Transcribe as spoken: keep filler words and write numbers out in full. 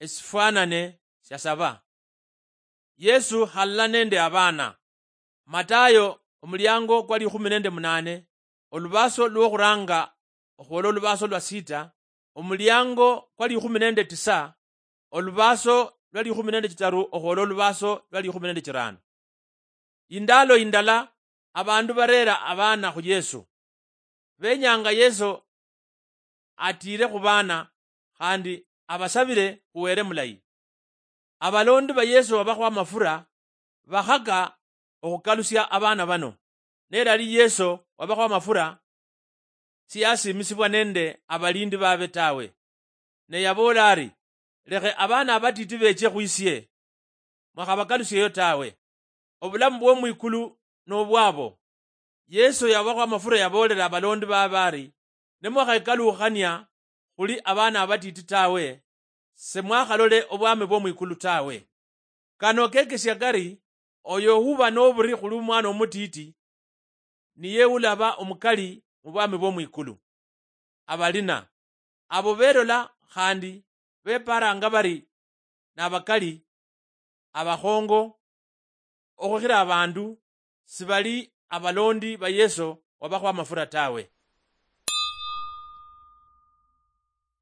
esifwanane sia saba. Yesu halala nende abaana. Matayo omuliango kwa likhumi nende munane, olubaso lwokhuranga okhwola olubaso lwa sita, omuliango kwa likhumi nende tisa, olubaso lwa likhumi nende chitaru okhwola olubaso lwa likhumi nende chirano. Indalo indala, abandu barera abaana khu Yesu. Benyanga Yesu atiire khu baana, khandi abasabire khu Wele mulayi. Abalondi ba Yesu wabakhwa amafura bakhaka okhukalusia abaana bano. Nelali Yesu wabakhwa amafura, siyasiimisibwa nende abalindi babe tawe. Ne yaboola ari, "Lekhe abaana abatiti beche khwisie, mwakhabakalusieyo tawe. Obulamu bwomwikulu nobwabo." Yesu yabakhwa amafura, yaboolera abalondi babe ari, "Nimwakhekalukhania khuli abaana abatiti tawe, semwakhalole obwami bwomwikulu tawe." Kano kekesia kari, oyo ohuba noburi khuli omwana omutiti, niye ulaba omukali mubwami bwomwikulu. Abalina abo belola khandi beparanga bari nabakali, abakhongo okhukhira abandu, sibali abalondi ba Yesu wabakhwa amafura tawe.